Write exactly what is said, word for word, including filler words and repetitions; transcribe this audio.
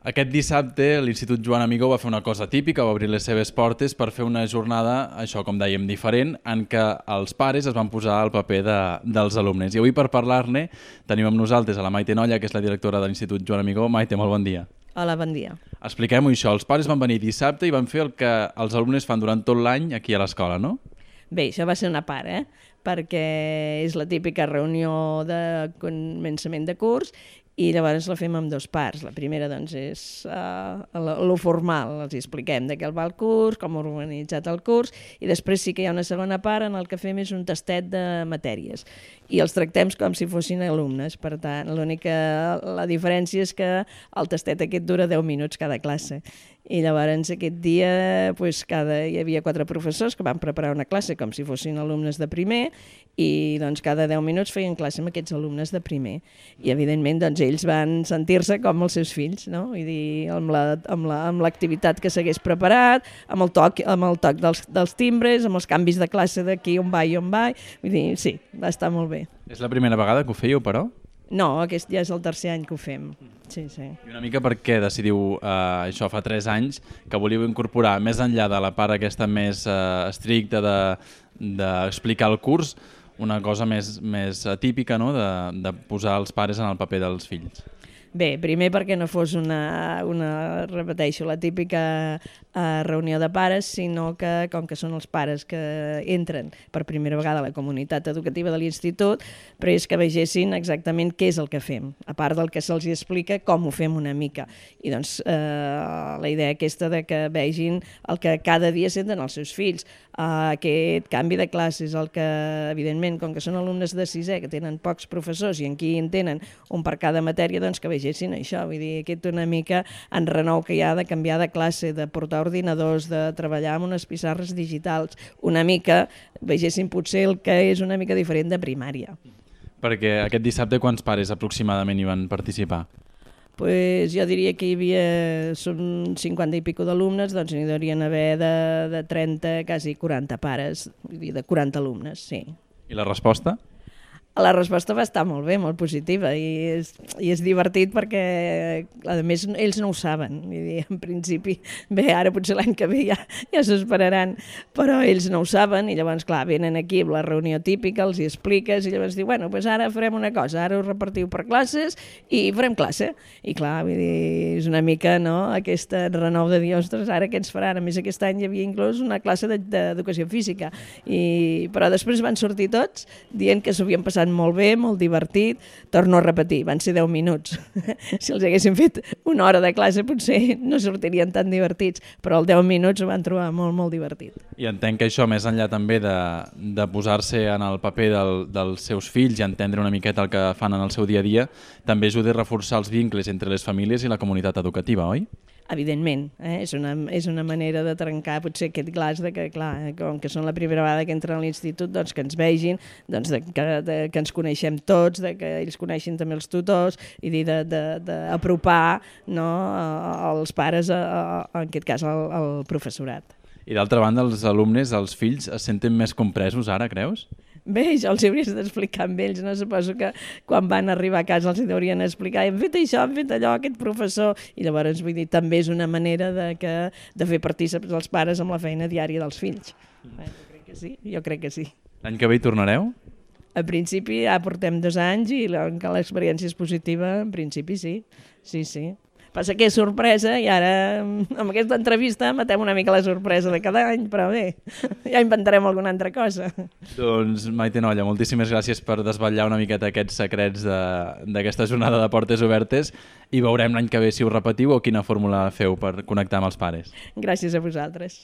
Aquest dissabte l'Institut Joan Amigó va fer una cosa típica, va obrir les seves portes per fer una jornada, això com dèiem, diferent, en què els pares es van posar al paper de, dels alumnes. I avui per parlar-ne tenim amb nosaltres a la Maite Nolla, que és la directora de l'Institut Joan Amigó. Maite, molt bon dia. Hola, bon dia. Expliquem-ho això, els pares van venir dissabte i van fer el que els alumnes fan durant tot l'any aquí a l'escola, no? Bé, això va ser una part, eh? Perquè és la típica reunió de començament de curs i llavors la fem amb dues parts. La primera doncs, és uh, lo formal, els expliquem de què va el curs, com ha organitzat el curs, i després sí que hi ha una segona part en el que fem és un tastet de matèries. I els tractem com si fossin alumnes, per tant, l'única la diferència és que el tastet aquest dura deu minuts cada classe. I llavors aquest dia pues, cada, hi havia quatre professors que van preparar una classe com si fossin alumnes de primer i doncs, cada deu minuts feien classe amb aquests alumnes de primer. I evidentment doncs, ells van sentir-se com els seus fills, no? Vull dir, amb la, amb la, amb l'activitat que s'hagués preparat, amb el toc, amb el toc dels, dels timbres, amb els canvis de classe d'aquí on va i on va. Vull dir, sí, va estar molt bé. És la primera vegada que ho fèieu, però? No, aquest ja és el tercer any que ho fem. Sí, sí. I una mica per què decidiu, eh, això fa tres anys, que volíeu incorporar, més enllà de la part aquesta més eh, estricta d'explicar de, el curs, una cosa més, més atípica, no? de, de posar els pares en el paper dels fills? Bé, primer perquè no fos una, una repeteixo, la típica uh, reunió de pares, sinó que, com que són els pares que entren per primera vegada a la comunitat educativa de l'institut, però és que vegessin exactament què és el que fem, a part del que se'ls explica, com ho fem una mica. I doncs uh, la idea aquesta de que vegin el que cada dia senten els seus fills, uh, aquest canvi de classes, el que, evidentment, com que són alumnes de sisè, que tenen pocs professors i aquí en tenen un per cada matèria, doncs que vegessin això, vull dir, aquest una mica en renou que hi ha de canviar de classe, de portar ordinadors, de treballar amb unes pissarres digitals, una mica vegessin potser el que és una mica diferent de primària. Perquè aquest dissabte quants pares aproximadament hi van participar? Pues jo diria que hi havia, són cinquanta i pico d'alumnes, doncs n'hi deurien haver de, de trenta, quasi quaranta pares, vull dir, de quaranta alumnes, sí. I la resposta? La resposta va estar molt bé, molt positiva i és, i és divertit perquè a més ells no ho saben, vull dir, en principi, bé, ara potser l'any que ve ja, ja s'ho esperaran, però ells no ho saben i llavors, clar, venen aquí amb la reunió típica, els hi expliques i llavors diu, bueno, doncs ara farem una cosa, ara us repartiu per classes i farem classe. I clar, vull dir, és una mica, no?, aquesta renou de dir, ostres, ara què ens faran? A més, aquest any hi havia inclús una classe d'educació física, i, però després van sortir tots dient que s'ho havien passat molt bé, molt divertit. Torno a repetir, van ser deu minuts. Si els haguessin fet una hora de classe potser no sortirien tan divertits, però els deu minuts ho van trobar molt, molt divertit. I entenc que això, més enllà també de, de posar-se en el paper del, dels seus fills i entendre una miqueta el que fan en el seu dia a dia, també ajuda a reforçar els vincles entre les famílies i la comunitat educativa, oi? Evidentment, eh? és, una, és una manera de trencar potser aquest glaç de que, clar, com que són la primera vegada que entren a l'institut, doncs que ens vegin, doncs de, que, de, que ens coneixem tots, de que ells coneixin també els tutors i d'apropar, no, els pares, a, a, en aquest cas, al, al professorat. I d'altra banda, els alumnes, els fills, es senten més compresos ara, creus? Bé, això els hauries d'explicar amb ells, no? Suposo que quan van arribar a casa els haurien d'explicar, hem fet això, hem fet allò, aquest professor, i llavors, vull dir, també és una manera de, que, de fer partícips els pares amb la feina diària dels fills. Bé, jo crec que sí, jo crec que sí. L'any que ve hi tornareu? En principi ja portem dos anys i l'experiència és positiva, en principi sí, sí, sí. Passa que és sorpresa i ara amb aquesta entrevista matem una mica la sorpresa de cada any, però bé, ja inventarem alguna altra cosa. Doncs Maite Nolla, moltíssimes gràcies per desvetllar una miqueta aquests secrets d'aquesta jornada de portes obertes i veurem l'any que ve si ho repetiu o quina fórmula feu per connectar amb els pares. Gràcies a vosaltres.